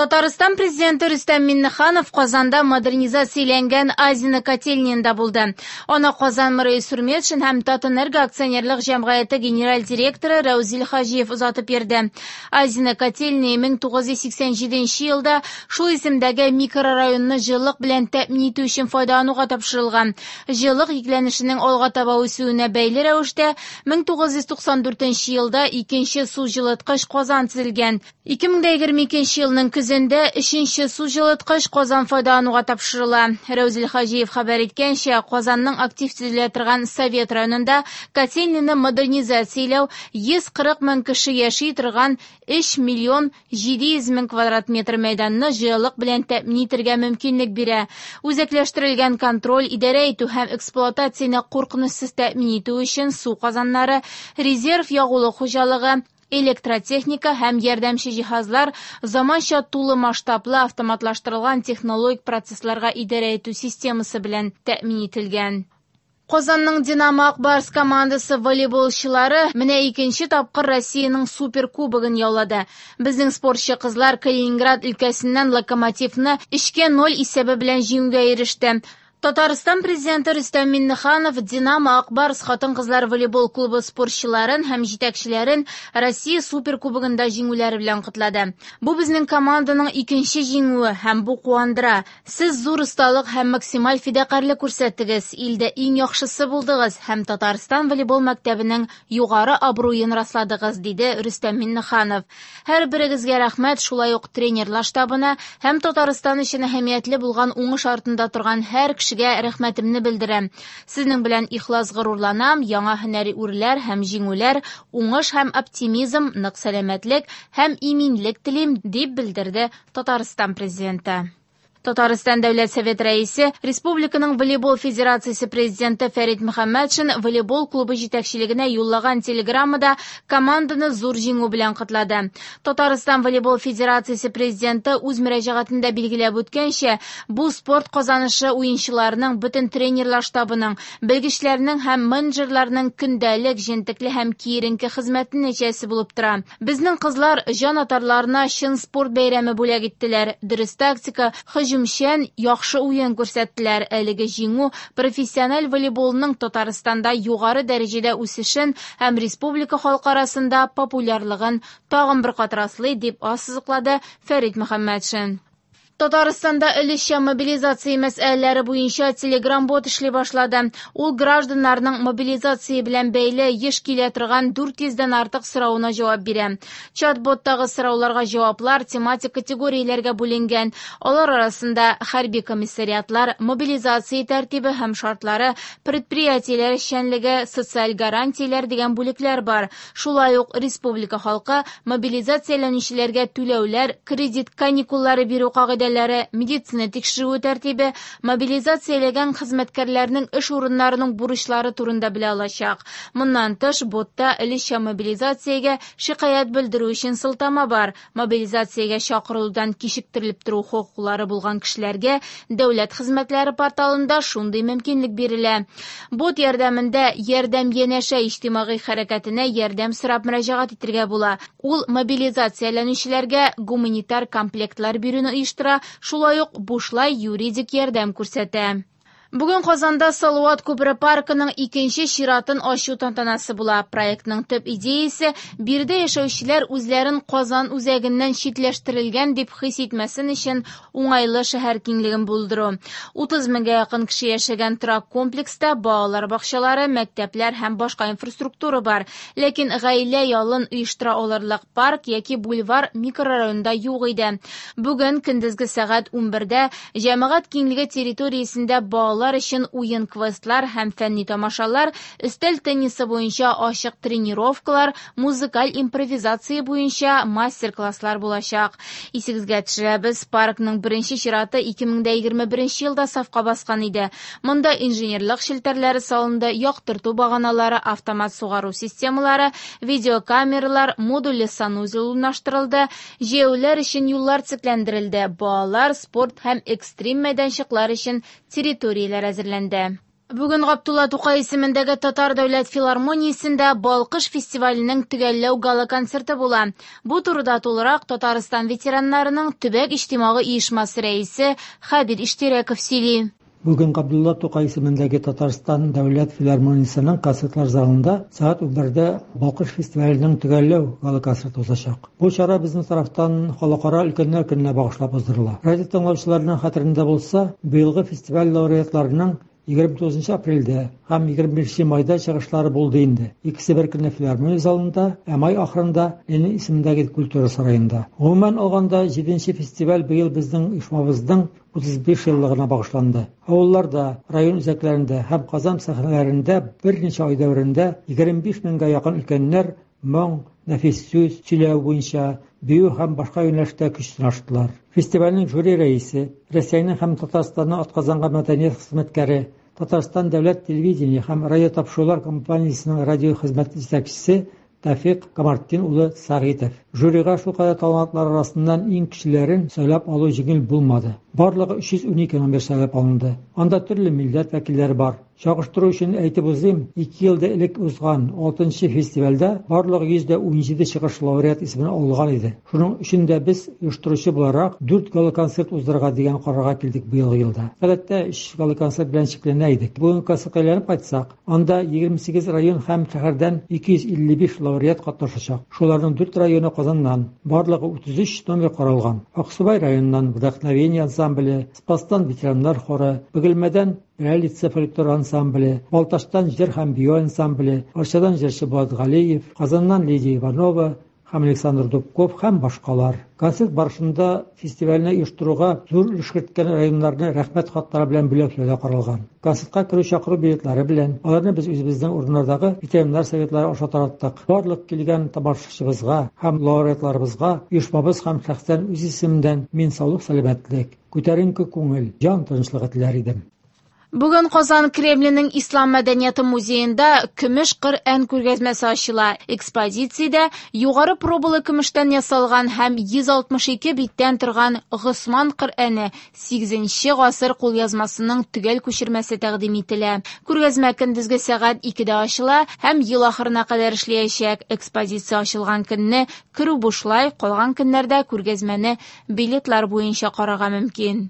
Татарстан Президенты Рөстәм Миңнеханов Казанда модернизацияләнгән Азино котельныенда булды. Аны Казан мэры Илсур Метшин һәм Татэнерго акционерлык җәмгыяте генераль директоры Рәүзил Хаҗиев озатып йөрде. Азино котельные 1987 елда шул исемдәге микрорайонны җылылык белән тәэмин итү өчен файдалануга тапшырылган. Җылылык йөкләнешенең алга таба үсүенә бәйле рәвештә 1994 елда икенче су җылыткыч казан төзелгән. 2022 елның көзендә өченче су җылыткыч казан файдалануга тапшырыла. Рәүзил Хаҗиев хәбәр иткәнчә, Казанның актив төзелә торган Совет районында котельныйны модернизацияләү 140 мең кеше яши торган 3 миллион 700 мең квадрат метр мәйданны җылылык белән тәэмин итәргә мөмкинлек бирә. Үзәкләштерелгән контроль, идарә итү һәм эксплуатацияне куркынычсыз тәэмин итү өчен су казаннары, резерв ягулык хуҗалыгы, электротехника һәм ярдәмче җиһазлар заманча тулы масштаблы автоматлаштырылган технологик процессларга идарә итү системасы белән тәэмин ителгән. Казанның Динамо Ак Барс командасы волейболчылары менә икенче тапкыр Россиянең суперкубогын яулады. Безнең спортчы кызлар Калининград өлкәсеннән Локомотивны 3-0 исәбе белән җиңүгә иреште. Татарстан Президенты Рөстәм Миңнеханов Динамо Ак Барс хатын-кызлар волейбол клубы спортчыларын һәм җитәкчеләрен Россия суперкубогында җиңүләре белән котлады. Бу безнең команданың икенче җиңүе һәм бу куандыра. Сез зур осталык һәм максималь фидакарьлек күрсәттегез, илдә иң яхшысы булдыгыз һәм Татарстан волейбол мәктәбенең югары абруен расладыгыз, диде Рөстәм Миңнеханов. Һәр берегезгә рәхмәт, шулай ук тренерлар штабына һәм Татарстан өчен әһәмиятле булган уңыш артында торган һәр кешегә рәхмәтемне белдерәм. Сезнең белән ихлас горурланам, яңа һөнәри үрләр һәм җиңүләр, уңыш һәм оптимизм, нык сәламәтлек һәм иминлек телим, дип белдерде Татарстан Президенты. Татарстан Дәүләт Совет рәисе, Республиканың волейбол федерациясе президенты Фәрит Мөхәммәтшин волейбол клубы җитәкчелегенә юллаган телеграммада команданы зур җиңү белән котлады. Татарстан волейбол федерациясе президенты үз мөрәҗәгатендә билгеләп үткәнчә, бу спорт казанышы уенчыларының, бөтен тренерлар штабының, белгечләрнең һәм менеджерларның көндәлек, җентекле һәм киеренке хезмәте нәтиҗәсе булып тора. Безнең кызлар җан атарларына чын спорт бәйрәме бүләк иттеләр. Дөрес тактика, һөҗүмчән, яхшы уен күрсәттеләр. Әлеге җиңү профессиональ волейболның Татарстанда югары дәрәҗәдә үсешен һәм республика халкы арасында популярлыгын тагын бер кат раслый, дип ассызыклады Фәрит Мөхәммәтшин. Татарстанда өлешчә мобилизация мәсьәләләре буенча Telegram-бот эшли башлады. Ул гражданнарның мобилизация белән бәйле еш килә торган 400дән артык соравына җавап бирә. Чат-боттагы сорауларга җаваплар тематик категорияләргә бүленгән. Алар арасында хәрби комиссариатлар, мобилизация тәртибе һәм шартлары, предприятиеләр эшчәнлеге, социаль гарантияләр дигән бүлекләр бар. Шулай ук республика халкы мобилизацияләнүчеләргә түләүләр, кредит каникуллары бирү кагыйдәләре, медицина тикшерүе тәртибе, мобилизацияләгән хезмәткәрләрнең эш урыннарының бурычлары турында белә алачак. Моннан тыш, ботта өлешчә мобилизациягә шикаять белдерү өчен сылтама бар. Мобилизациягә чакырылудан кичектерелеп тору хокуклары булган кешеләргә дәүләт хезмәтләре порталында шундый мөмкинлек бирелә. Бот ярдәмендә Ярдәм янәшә иҗтимагый хәрәкәтенә ярдәм сорап мөрәҗәгать итәргә була. Ул мобилизацияләнүчеләргә гуманитар комплектлар бирүне оештыра, шулай ук бушлай юридик ярдәм күрсәтә. Бүген Казанда Салават күпере паркының икенче чиратын ачу тантанасы була. Проектның төп идеясе биредә яшәүчеләр үзләрен Казан үзәгеннән читләштерелгән дип хис итмәсен өчен уңайлы шәһәр киңлеген булдыру. 30 меңгә якын кеше яшәгән торак комплекста балалар бакчалары, мәктәпләр һәм башка инфраструктура бар. Ләкин гаилә ялын оештыра алырлык парк яки бульвар микрорайонда юк иде. Бүген көндезге сәгать 11-дә җәмәгать киңлеге территориясендә балалар өчен уен квестлар һәм фәнни тамашалар, өстәл теннисы буенча ачык тренировкалар, музыкаль импровизация буенча мастер-класслар булачак. Исегезгә төшерәбез, паркның беренче чираты 2021 елда сафка баскан иде. Монда инженерлык челтәрләре салынды, яктырту баганалары, автомат сугару системалары, видеокамералар, модульле санузел урнаштырылды, җәяүлеләр өчен юллар төзекләндерелде, балалар, спорт һәм экстрим мәйданчыклар өчен территорияләр әзерләнде. Бүген Габдулла Тукай исемендәге Татар дәүләт филармониясендә Балкыш фестиваленең төгәлләү гала-концерты була. Бу турыда тулырак Татарстан ветераннарының төбәк иҗтимагый оешмасы рәисе Хәбир Иштирәков сөйли. Бүген Габдулла Тукай исемендәге Татарстан дәүләт филармониясенең концертлар залында сәгать 11дә Балкыш фестиваленең төгәлләү гала-концерты узачак. Бу чара безнең тарафтан Халыкара өлкәннәр көненә багышлап уздырыла. Радио тыңлаучыларның хәтерендә булса, быелгы фестиваль лауреатларының 29 апрельдә һәм 25 майда чыгышлары булды инде. Икесе бер көнне филармония залында, ә май ахырында Ленин исемендәге культура сараенда. Гомумән алганда, 7 фестиваль быел безнең оешмабызның 35 еллыгына багышланды. Авылларда, район үзәкләрендә һәм Казан сәхнәләрендә берничә ай дәверендә 25 меңгә якын өлкәннәр моң, нәфис сүз, сөйләү буенча, бию һәм башка юнәлештә көч сынаштылар. Фестивальнең жюри рәисе, Рәсәйнең һәм Татарстанның атказанган мәдәният хезмәткәре, Татарстан дәүләт телевидение һәм радиотапшырулар компаниясенең радио хезмәт җитәкчесе Тәфикъ Камартдин улы Сәгыйтов. Жюрига шулкадәр талантлар арасыннан иң көчлеләрен сайлап алу җиңел булмады. Барлыгы 312 номер сайлап алынды. Анда төрле милләт вәкилләре бар. Чагыштыру өчен әйтеп узыйм, ике ел да элек узган 6 фестивальдә барлыгы 117 чыгыш лауреат исемен алган иде. Шуның өчен дә без оештыручы буларак 4 гала-концерт уздырырга дигән карарга килдек быелгы елда. Гадәттә 3 гала-концерт белән чикләнә идек. Бүгенге концертка әйләнеп кайтсак, анда 28 район һәм шәһәрдән 255 лауреат катнашачак. Шуларның 4 районы Казаннан. Барлыгы 33 номер каралган. Аксубай районыннан Вдохновение ансамбле, Спастан ветераннар хоры, Бөгелмәдән Реалица фольклор ансамбле, Балтачтан җыр һәм бию ансамбле, Арчадан җырчы Булат Галиев, Казаннан Лидия Иванова һәм Александр Дубков һәм башкалар. Концерт барышында фестивальне оештыруга зур өлеш керткән районнарны рәхмәт хатлары белән бүләкләү дә каралган. Концертка керү чакыру билетлары белән аларны без үзебезнең урыннардагы ветераннар советлары аша тараттык. Барлык килгән тамашачыбызга һәм лауреатларыбызга оешмабыз һәм шәхсән үз исемемдән мин саулык-сәламәтлек, күтәренке күңел, җан тынычлыгы теләр идем. Бүген Казан Кремленең Ислам мәдәнияте музеенда Көмеш Коръән күргәзмәсе ачыла. Экспозициядә югары пробалы көмештән ясалган һәм 162 биттән торган Госман Коръәне 8 гасыр кулъязмасының төгәл күчермәсе тәкъдим ителә. Күргәзмә көндезге сәгать 2дә ачыла һәм ел ахырына кадәр эшләячәк. Экспозиция ачылган көнне керү бушлай, калган көннәрдә күргәзмәне билетлар буенча карарга мөмкин.